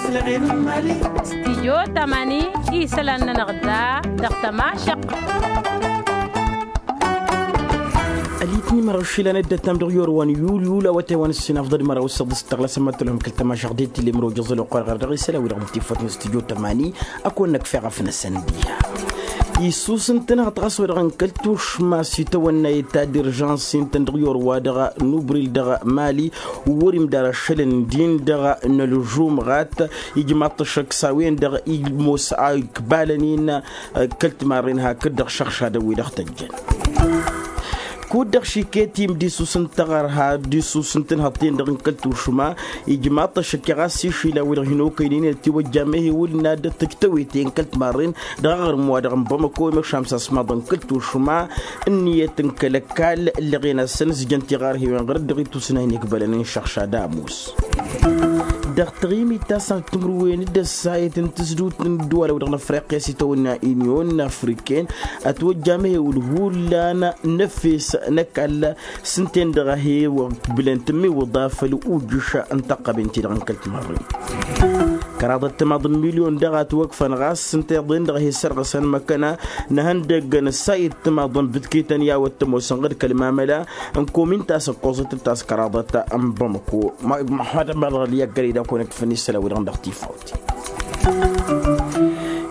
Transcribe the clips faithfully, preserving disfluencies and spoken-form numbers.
Stijyo tamani isălan-nănăɣ da dăɣ-tămašăq. Ălitni măraw išilan ăddătam dăɣ-yorwan yul yul awătay wa n-ǝssin afḍăd măraw s-săḍǝs tăɣlasăm măttălhăm kăl-tămašăɣ d-ittilem rojăẓ ăloqor ɣăr dăɣ-isălan wi-dăɣ n-tifăt n-stijyo tamani. Ad-kăwăn-năkf eɣăf-năsăn diha issus n-tǝnhăḍ ɣas wa dăɣ-n kăl-tušma s-itawănna i-ta d-irjans-i n-tăn-dăɣ i-orwa dăɣ-nubril dăɣ-mali. Wăr-imdar ašăl ǝndin dăɣ-nălžumɣat ijmaḍ-t ăššăk s-a-wen-dăɣ imoos a ikbalăn-in. Kăl-timarren hakd-dăɣ šăɣšadăn-wi-dăɣ tăjjăn kud-dăɣ šiket imdissus n-taɣărha d-issus n-tǝnhăḍt-ten-dăɣ n-kăl-tušma. Ijmaḍ-t ăššăk i-ɣas išilan-wi-dăɣ hin-okăynen ătiwăjja mehiwǝl n-ad-tǝjtăwete n-kăl-timarren dăɣ-aɣrǝm-wa-dăɣ n-bamăko i-măšam s-asmaḍăn kăl-tušma. Ǝnniyăt n-kăl-ăkall ǝllăɣen-asăn ǝzjăn tiɣarhiwen ɣur-dd dăɣ-ittus n-a hin-ikbălăn n-išăɣšad amus. Dăɣ-taɣimit ta s-ad-timǝrwen d-ăssayăt n-tǝzdut n-ǝddǝwalăw dăɣ-năfriqya s-itawănna inyon afriken. Ătwăjja mehiwǝl hullan n-efes n-ăkall s-ǝnta-en dăɣ-a he-wăr bǝlăn tǝmmiwǝḍa făll-ujǝš n-taqqăben-ti-dăɣ n-kăl-timărren. Kăraḍăt timaḍ n-milyon daɣ a ătwăkfăn ɣas s-ǝnta iḍen dăɣ-a he-sărɣǝsăn măkkăna n-ehăndăgg n-ăssayăt timaḍ n-bǝtkităn i-a-wăt tămoosăn ɣǝd kăl-mamăla n-komin ta s-ǝkkoẓăt d-taskăraḍăt n-bamăko. Măhmăd ămărăɣ-li ăggălăy d-a kăwăn-ǝkfăn isălan wi-dăɣ dăɣ-tifawt.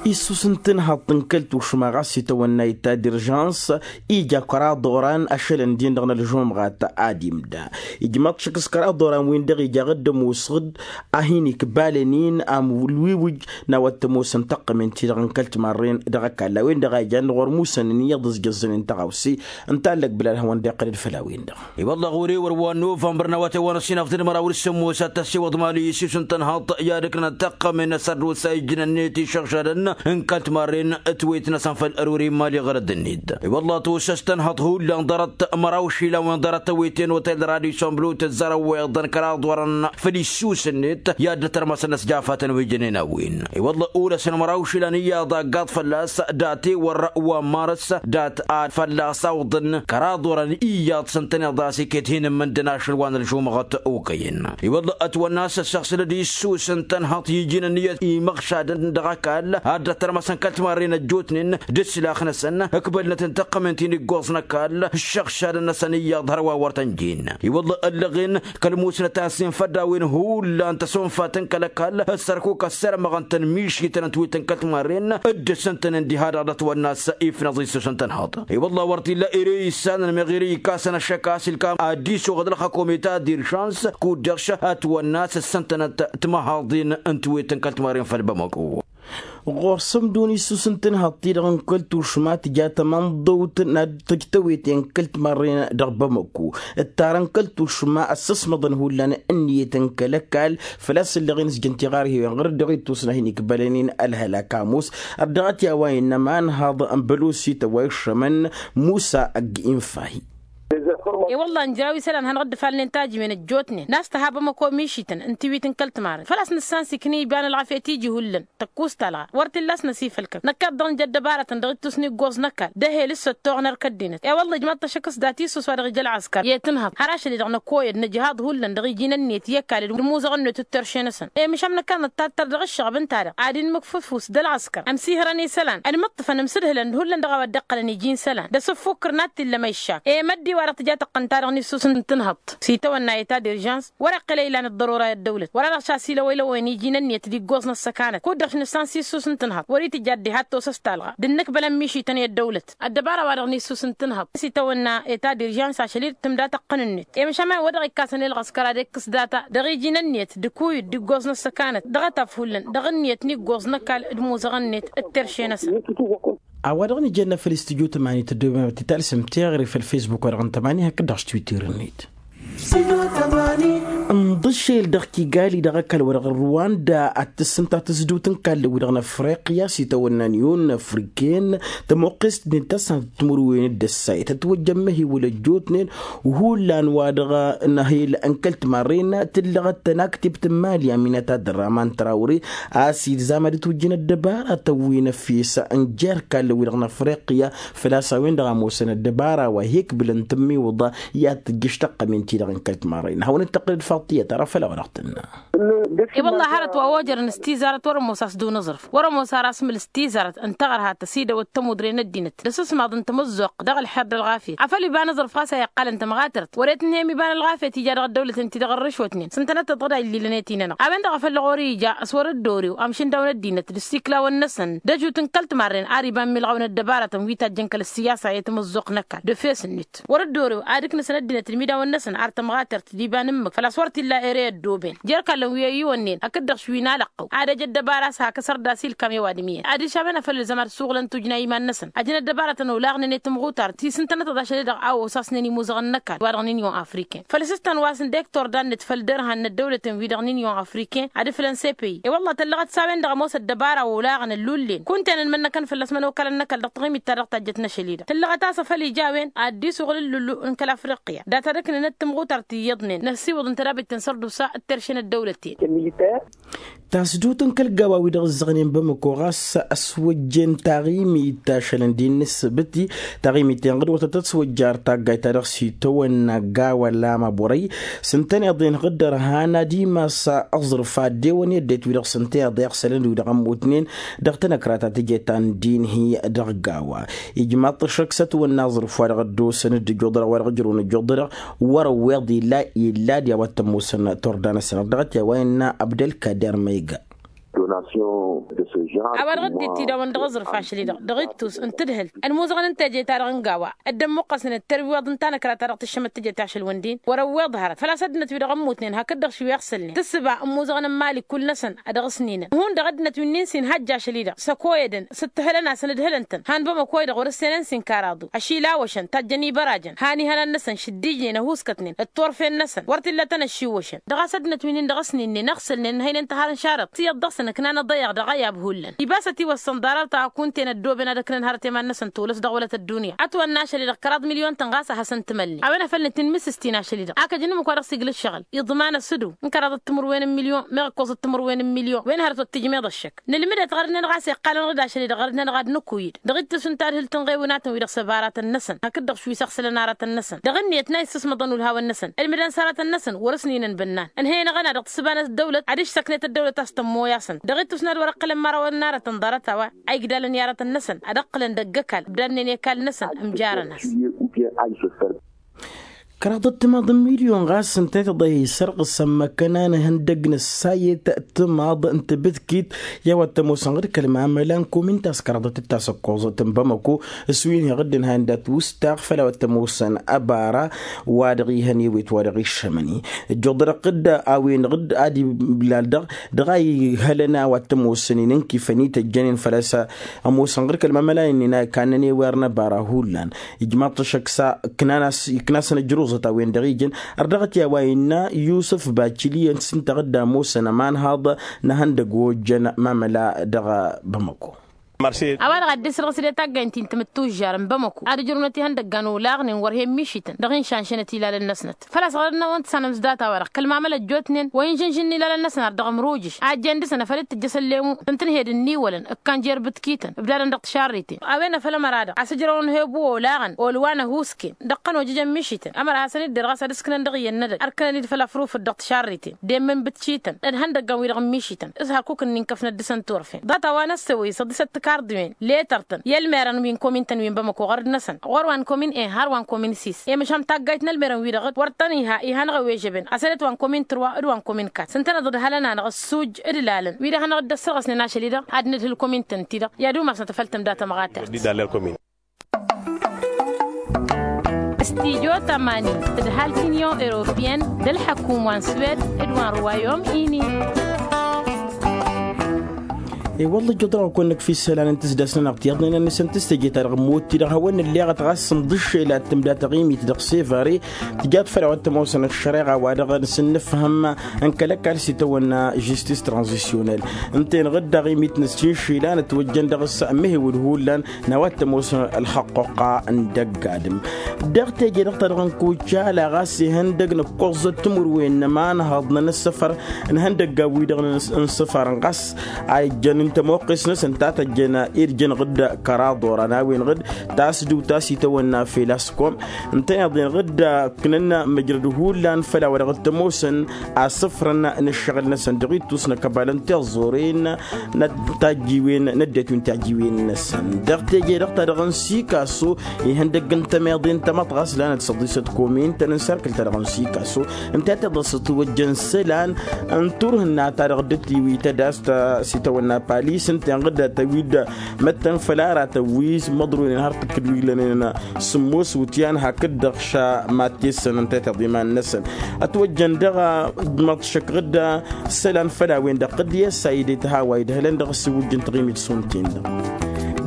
Issus n-tǝnhăḍt n-kăl-tušma ɣas itawănna i-ta d-irjans ija kăraḍ oran ašăl ǝndin dăɣ-nălžumɣat ad-imda. Ijmaḍ-t šăkk s-kăraḍ oran-win-dăɣ ija ɣǝddăm usɣǝd a hin-ikbalăn-in amǝlwiwǝj n-a-wa t-ămoosăn tăqqămen-ti-dăɣ n-kăl-timarren dăɣ-ăkall a-wen-dăɣ a ijan ɣur-musăn n-iyyăḍ ǝzjăẓẓănen tăɣawse. Ǝnta a ǝllăg bǝlal hawăn-dd-iqqălăd făll-a-wen-dăɣ. I-wălla ɣur-e wăr wa n-novămbăr n-awătay wa n-ăssinafḍăn măraw d-sǝmmos ad-tăssiwăḍ mali s-isus n-tănhăḍt i-ad-ǝknăn tăqqămen n-asărrus a ijjǝn-net išăɣšadăn n-kăl-timarren ătwet-năsăn făll-ăruri n-mali ɣărăd-net. I-wălla tosăs tănhăḍt hullan ḍarăt măraw išilan wen ḍarăt tăweten otel d-radisson blu tǝzzărăwweḍăn kăraḍ wărăn făll-issus-net i-ad-nǝtărmăsăn ăsjafatăn wi jănen a-wen. I-wălla olăsăn măraw išilan iyyăḍ aggaḍ fălla-s dat-ewăr wa n-marăs dat-ad fălla-s awǝḍăn kăraḍ wărăn iyyăḍ s-ǝntăneḍ a-s iket hin-ǝmmǝndăn ašăl wa n-ălžumăɣăt okăyăn. I-wălla ătwănna a-s ăssăɣsǝlăd issus n-tănhăḍt iji n-ǝnniyăt imăɣšadăn dăɣ-ăkall ad-dd-ătărmăsăn kăl-timarren ăjjootnen d-ǝslax-năsăn ǝkbălnăt n-tăqqămen ti n-iggoẓ n-ăkall ǝššăɣšadăn-năsăn iyyăḍ hărwa wăr tăn-jen. I-wălla ăllăɣen kăl-musnăt a-s infădd a-wen hullan tăsonfatăn kăl-ăkall ăssărkuk ăssărmăɣăn-tăn mišităn ătwităn kăl-timarren dd-ǝssǝntănen diha-dăɣ d-ătwănna a-s ifnăẓ issus n-tănhăḍ. I-wălla wăr t-illa ere issanăn meɣ ere ikkasăn ăššăk a-s ilkam ad-dd-isuɣăd ălxăkom i-ta d-iršans kud-dăɣ š-ătwănna a-s ǝssǝntănăt timăhaḍin n-twet n-kăl-timarren făll-bamăko. Ɣur-sămdun issus n-tǝnhăḍt-ti-dăɣ n-kăl-tušma tǝja tamănḍăwt n-ad-tăj tăwete n-kăl-timarren dăɣ-bamăko. Ǝttarăn kăl-tušma ăssăsmăḍăn hullan ǝnniyăt n-kăl-ăkall făl-a-s ǝllăɣen s-jăn tiɣarhiwen ɣur-dd dăɣ-ittus n-ad-hin-ikbălăn-in ălhălak ămoos. Ărdăɣăt i-a-wa innă ămanhăḍ n-bălosităn wa iššămăn musa ăgg-infahi. E-wălla ǝnjăraw isălan hanăɣ-dd-ǝfalnen tajǝwen ăjjootnen n-a-s tăha bamăko mišităn n-tiwit n-kăl-timarren făl-a-s nǝssansi kăn iba n-ălɣafyăt iji hullan tăkkus talɣa wăr t-illa a-s năsifăl-kăk năkk ad-dăɣ-nǝj ăddăbarătăn dăɣ-ittus n-iggos n-ăkall d-ehel s-săttoɣ n-erk ăddinăt. E-wălla ijmaḍ-t ăššăk s-dat issus wa dăɣ-ija ălɣăskăr i-tǝnhăḍ har ašăl-i-dăɣ năkoyăd nǝjhaḍ hullan dăɣ-iji n-ǝnniyăt i-ăkall d-imuzăɣ-net d-terše-năsăn. E măšan năkk ad-năttattar dăɣ-ǝššăɣăb ǝnta-dăɣ ad-inmǝkfǝfus d-ălɣăskăr ămsihărăn isălan ănmǝṭṭǝfăn ămsǝdhǝlăn d-hullan dăɣ-a-wa dd-iqqălăn iji n-isălan d-asǝffukǝr n-ad-t-illăm ăyšak. E-măddi wa dăɣ-tǝja tăqqăn-ta-dăɣ n-issus n-tǝnhăḍt s-itawănna i-ta d-irjans wăr-iqqǝl ăylan ăḍḍărora i-ăddăwlăt wăr-a-dăɣ šasǝlăwăylăwăyăn iji n-ǝnniyăt d-iggoẓ n-ăssăkanăt kud-dăɣ š-nǝssan s-issus n-tǝnhăḍt wăr-itǝjja ăddihad tosăs talɣa d-ǝnnǝkbălăn mišităn i-ăddăwlăt. Ăddăbara-wa-dăɣ n-issus n-tǝnhăḍt s-itawănna i-ta d-irjans ašăl-i d-tǝmda tăqqăn-net i-măšan ma-wen wa dăɣ-ikkasăn i-ălɣăskăr ad-ikkǝs data dăɣ-iji n-ǝnniyăt d-ikuyǝd d-iggoẓ n-ăssăkanăt dăɣ-ătaf hullan dăɣ-ǝnniyăt n-iggoẓ n-ăkall d-imuzăɣ-net d-terše-năsăn. A-wa dăɣ-nǝjănna făll-istudyo tămani tăddoobem ad-t-talsăm teɣăre făll-fesbuk-wa-dăɣ n-tămani hakd-dăɣ s-twitter-net. Ǝnḍǝšel dăɣ-kigali dăɣ-ăkall-wa-dăɣ n-ruwanda ad-tǝssǝnta tǝzdut n-ikallăn-wi-dăɣ n-afriqya s-itawănna n-iyyun n-afriken. Tămoqqest-net ta s-ad-timǝrwen d-ăssayăt ătwăjjăn măhiwǝl ăjjootnen hullan-wa-dăɣ n-ehel n-kăl-timarren tǝllăɣăt tănaktibt n-mali aminăt ad-ăraman trawre a-s ilzam ad-ǝtwǝjjǝn ăddăbaratăn wi n-efes n-jer-ikallăn-wi-dăɣ n-afriqya. Făl-a-s a-wen-dăɣ a ămoosăn ăddăbara wa hi-ǝkbǝlăn tǝmmiwǝḍa i-ad-tǝjjǝš tăqqămen-ti-dăɣ n-kăl-timarren hawăn-dd-tăqqǝlăd faḍt tiyyăt ara făll-a-wa dăɣ-tǝnna. I-wălla hărăt wa ojărăn s-tizarăt wăr-ămoos a-s dd-unǝẓrǝf wăr-ămoos ar asmǝl s-tizarăt n-taɣărhat tăsidăwăt tămudre n-ăddinăt d-asǝsmaḍ n-tamǝzzuɣt dăɣ-ălxer d-ălɣafyăt afăl iba n-aẓrǝf ɣas a iqqalăn tămɣatărt wăr-e tǝnhăyăm iba n-ălɣafyăt ija dăɣ-ăddăwlăt n-ti-dăɣ ărrǝšwătnen s-ǝntănăt tăḍɣăd a illilăn i-tinănăɣ a-wen-dăɣ a făl dăɣ-wăr-ija s-wăr-dd-orew amšǝndaw n-ăddinăt d-ǝssiklawăn-năsăn d-ăjut n-kăl-timarren ar iba n-milɣaw n-ăddăbarătăn wi tajjăn kăl-ăssiyasa i-tamǝzzuɣt n-ăkall d-efes-net wăr-dd-orew ad-ǝknǝsăn ăddinăt d-imidawăn-năsăn ar tămɣatărt d-iba n-ǝmmǝk făl-a-s wăr t-illa ere i-ăddooben jer-kall n-wi ăyyiwănnen hakd-dăɣ šwin alăqqăw ad-ăj ăddăbara a-s hak ăsărdas ilkam i-ăwadǝm iyyăn adiš a-wen a făl ǝlzăm ad-suɣǝlăn tujna i-iman-năsăn ajăn ăddăbarătăn olaɣnen i-tamɣutart ti s-ǝntănătăḍ ašăl-i-dăɣ a osasnen imuzăɣăn n-ăkall wa dăɣ-nǝnyon afriken făl s-ǝstan wa s-ǝndek torda-net făll-dărhan n-ăddăwlăten-wi-dăɣ nǝnyon afriken ad-ǝflăn s-e-păyy i-wălla tăllăɣăt s-a-wen-dăɣ ămoos ăddăbara olaɣăn ăllullen kunta-en ănmănnăkăn fălla-s mănokalăn n-ăkall dăɣ-taɣimit-ta-dăɣ tajjăt n-ašăl-i-dăɣ tǝllăɣăt a-s afăl ija a-wen ad-dd-isuɣǝl ǝllullu n-kăl-afriqya data d-ǝknǝnăt tamɣutart iyyăḍnen năssiwǝḍ n-tedabit n-sărdusa d-terše n-ăddăwlăten. Tasdut n-kăl-gawa-wi-dăɣ ǝzzăɣnen bamăko ɣas ăswăjjen taɣimit ašălăn d-innǝssǝbǝt-i taɣimit-en ɣǝd wăr tăt-ăswăjja ar taggayt-ta-dăɣ s-itawănna gawa lama borăy s-ǝntăneḍ-en ɣǝd dăr-han ad-imas aẓrǝf ad-dewăn i-ăddinăt wi-dăɣ s-ǝnta iḍeɣ sălăn-wi-dăɣ ămmutnen dăɣ-tanăkra ta tǝje ta n-dinhi dăɣ-gawa. Ijmaḍ-t ăššăk s-ătwănna aẓrǝf wa dăɣ-ăddoosăn d-ǝjjuḍăr wa dăɣ-ǝjrǝwăn ǝjjuḍăr wăr-ăwweḍ illa illa d-i-a-wa t-ămoosăn turda-năsăn dăɣ-t i-a-wa innă abdălkader ma iga. A-wa dăɣ-dd-ittidawăn dăɣ-aẓrǝf ašăl-i-dăɣ dăɣ-ittus n-tǝdhǝlt ălmuzăɣăn n-teje-ta-dăɣ n-gawa dd-ămmuqqăsnen d-terwiwăḍ n-tanăkra ta dăɣ-tǝššămăt teje-ta ašăl-wăn-din wăr-ăwweḍ hărăt făl-a-s ăddinăt-wi-dăɣ ămmutnen hakd-dăɣ šwi iɣsǝlnen tǝssǝba ămmuzăɣăn n-imali kull-năsăn ad-ăɣ-ǝsninăn hundăɣ ăddinăt wi n-insin hajj ašăl-i-dăɣ s-ăkoyădăn s-ǝttǝhǝlăn-asăn ǝdhǝlăn-tăn han bamăko-i-dăɣ wăr-ǝssenăn s-inkaraḍu ašilawăšăn tajjăn ibărajăn han ihănan-năsăn šǝddijnen ăhuuskătnen d-turfen-năsăn wăr t-illa tănăššiwwăšăn dăɣ-a-s ăddinăt wi-nin-dăɣ ăsninen ăɣsǝlnen ǝnhăynen tăhar n-šarăt s-iyyăḍ dăɣ-săn ǝknan ăḍăyăɣ dăɣ-ayab hullan ibas ătiwăssăn ḍarăt a kunta-en ăddooben ad-ăknen hărăt i-iman-năsăn tolăs dăɣ-wălăt ăddunya ătwănna ašăl-i-dăɣ kăraḍ milyon-tăn ɣas a hasăn-tǝmălnen a-wen a făl nǝtǝnmǝsǝstin ašăl-i-dăɣ a kăjăn ǝmmǝk wa dăɣ-s iglǝššăɣǝl iḍman ăsǝdu n-kăraḍăt timǝrwen n-milyon meɣ ǝkkoẓăt timǝrwen n-milyon wen hărăt wăr tǝjmeḍ ăššăk nǝlmǝdet ɣărnen ɣas iqqalăn ɣǝd ašăl-i-dăɣ ɣărnen ɣad nǝkuy-dd dăɣ-ittus n-tadhǝlt n-iɣewnatăn-wi-dăɣ s-ăbaratăn-năsăn hakd-dăɣ šwi s-iɣsǝlăn aratăn-năsăn dăɣ-ǝnniyăt n-a issǝsmăḍăn ulhawăn-năsăn ǝlmǝdăn s-aratăn-năsăn wăr-ǝsninăn bănnan ǝnhăyăn aɣăna dăɣ-tǝssǝba n-ăddăwlăt adiš tăknet ăddăwlăt a-s tămmoy-asăn dăɣ-ittus n-ad-wăr-ǝqqǝlăn imărawăn n-aratăn ḍarăt a-wa a igdalăn i-aratăn-năsăn ad-ǝqqǝlăn dăgg-ăkall ǝbdadnen i-ăkall-năsăn ǝmjarăn-as. Kăraḍăt timaḍ n-milyon ɣas ǝntăneḍ a isărɣǝs ămmăkăn a n-ihăndăg n-ăssayăt timaḍ n-tibǝtkit i-a-wa t-ămoosăn ɣǝd kăl-mamăla n-komin ta s-kăraḍăt d-tasăkkoẓăt n-bamăko s-wi n-iɣǝddǝn han dat-wǝstaɣ făll-a-wa t-ămoosăn ăbara wa dăɣ-ihăn ewet wa dăɣ-iššămăn-i ǝjjuḍărăɣ-t d-a-wen ɣǝd ad-iblal dăɣ-dăɣ a ihălăn a-wa t-ămoosăn-in ǝnkifăn-i tăjjănen făl-a-s ămoosăn ɣǝr kăl-mamăla-in-in a ikannăn ewer n-ăbara hullan ijmaḍ-t ăššăk s-a iknasăn ǝjruẓăt a-wen-dăɣ ijăn ărdăɣăt i-a-wa innă yusǝf bacili ăssintaɣ-dd ămoosăn ămanhaḍ n-ehăndăg wa ojjăn mamăla dăɣ-bamăko. A-wa-dăɣ ad-dd-isǝrɣǝs d-taggaynt-in timǝttužžar n-bamăko ad-ǝjrǝwnăt ihăndăggan olaɣnen wăr he-immišităn dăɣ-inšanšănăt ilalăn-năsnăt făl-a-s ɣărăt n-a-wăn tǝssanăm s-data-wa-dăɣ kăl-mamăla ăjjootnen wa inžǝnžǝn n-ilalăn-năsăn ar dăɣ-ămrujǝš a ăjjeen dăr-săn a făl dd-tǝjjăs ălleemu tǝntǝnhed ǝnniwălăn ǝkkan jer-bǝtkităn ǝbdadăn dăɣ-tišarriten a-wen a făl ămăra-dăɣ a-s ǝjrăwăn hebu olaɣăn olwan ăhuusken dăɣ-kănojăj ămmišităn ămăra hasăn-dd-derɣas ad-ǝskǝnăn dăɣ-iyyăn n-edăgg ărkănăn-dd făll-afruf d-dăɣ-tišarriten d-emmǝn bǝtkităn d-ihăndăggan-wi-dăɣ ǝmmišităn s-hărkuk-ǝnnin kăfnăt dăɣ-săn turfen ḍat a-wa n-ăssewăy s-ăḍisăt tikarḍiwen letăr-tăn i-ălmerăn wi n-komin-tăn wi n-bamăko ɣărd-năsăn ɣur-wa n-komin en har wa n-komin sis i-măšan taggayt n-ălmerăn-wi-dăɣ wăr tăn-iha ihănăɣ ăwwežăben asălet wa n-komin tărwa d-wa n-komin kat s-ǝntăneḍ d-hălăn-anăɣ ăssuj d-lalăn wi d-ehănăɣ dd-ăssărɣăsnen ašăl-i-dăɣ ad-nǝdhǝl komin-tăn-ti-dăɣ i-ad-umasnăt făll-tǝmda tămɣatert. Studyo tămani tǝdhal tinyon europiyăn d-ălḥăkum wa n-swed d-wa n-ruwayom ini. I-wălla ǝjjăḍ-dăɣ a kăwăn-năkf isălan n-tǝsdasnănăɣ tiyyăḍnen a n-isăn tǝstăje-ta-dăɣ ămmotti-dăɣ hawăn-nǝlleɣăt ɣas sǝmḍǝššel ad-tǝmda taɣimit dăɣ-sevare tǝjat făll-a-wa t-ămoosăn ăššăreɣa wa dăɣ-nǝsǝnnǝfhăm n-kăl-ăkall s-itawănna žistis tranzisyonel ǝnta-en ɣǝd taɣimit n-ăssiššel a nǝtwăjjăn dăɣ-s ămmihiwǝd hullan n-a-wa t-ămoos ălxăqquqa n-dăgg-adǝm. Dăɣ-teje-dăɣ ta dăɣ-nǝkkucala ɣas ihăndăg nǝkkoẓăt timǝrwen n-ămanhăḍ n-anǝssăfăr n-ihăndăggan-wi-dăɣ n-sǝfarăn ɣas a ijjăn Tămoqqes-năsăn ta tăjjăn irjăn ɣǝd kăraḍ oran a-wen ɣǝd tasdǝwt ta s-itawănna fel a-s kom ǝntăneḍ-en ɣǝd ǝknăn măjrăd hullan făll-a-wa dăɣ-t ămoosăn asǝfrăn n-ǝššăɣǝl-năsăn dăɣ-ittus n-ăkăbal n-tiẓẓuren n-tajjiwen n-ăddinăt wi n-tajjiwen-năsăn. Dăɣ-teje-dăɣ ta dăɣ-n sikaso ihăndăgg n-tămeḍe n-tamăḍt ɣas lanăt săḍisăt komin-tăn n-sărkǝl ta dăɣ-n sikaso ǝnta tiḍăsăt wăjjăn isălan n-turhǝnna ta dăɣ-dd-tiwităd a-s ta s-itawănna palis ǝnta inɣǝd tăwid măttăn făll-aratăn wi s-măḍroynen har tǝkkǝd wi lănen sǝmmos wǝtyan hakd-dăɣ ša mad-tessăn ǝnta tiḍa iman-năsăn. Ătwăjjăn dăɣ-măḍšăk ɣǝd isălan făll-a-wen-dăɣ ɣǝd i-ăssayǝd i-tăhawa idhălăn dăɣ-s iwǝjjǝn taɣimit šund-ten-dăɣ.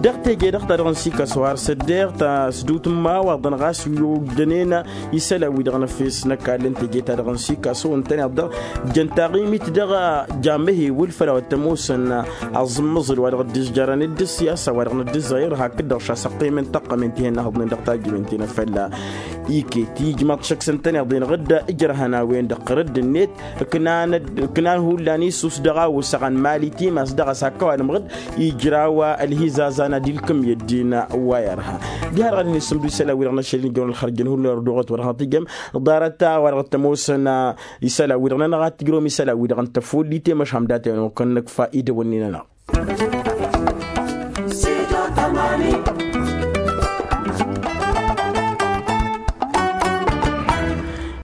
Dăɣ-teje-dăɣ ta dăɣ-n sikaso har s-ăddeɣ tasdǝwt n-imawaḍăn ɣas wi ojjănen isălan-wi-dăɣ n-efes n-ăkall n-teje ta dăɣ-n sikaso ǝntăneḍ-dăɣ jăn taɣimit dăɣ-jamăhewǝl făll-a-wa t-ămoosăn aẓǝmmăẓǝl wa dăɣ-dd-ǝzjarăn d-ǝssiyasa wa dăɣ-năddǝzzăɣ irha hakd-dăɣ šasăqqemen tăqqămen tihănnăhăḍnen dăɣ-tajǝwen ti n-afălla. Iket ijmăḍ šăkk s-ǝntăneḍ-en ɣǝd ǝjrăhăn a-wen-dăɣ ɣǝrǝdd-net ǝknan hullan isus dăɣ-a osăɣăn mali timas dăɣ-a-s hak ăwadǝm ɣǝd ijraw ălhizazan ad-ilkǝm i-ăddin wa irha. Diha-dăɣ ad-hin-isǝmdǝw isălan-wi-dăɣ n-ašăl n-ijăwăn ălxărjăn hullan ărdăɣăt wăr hătijăm ḍarăt-a wa dăɣ-t ămoosăn isălan-wi-dăɣ n-anăɣ ad-tǝjrăwăm isălan-wi-dăɣ n-tăfullit i-măšham dat-en okănnăk fa idăwănnin ănăɣ.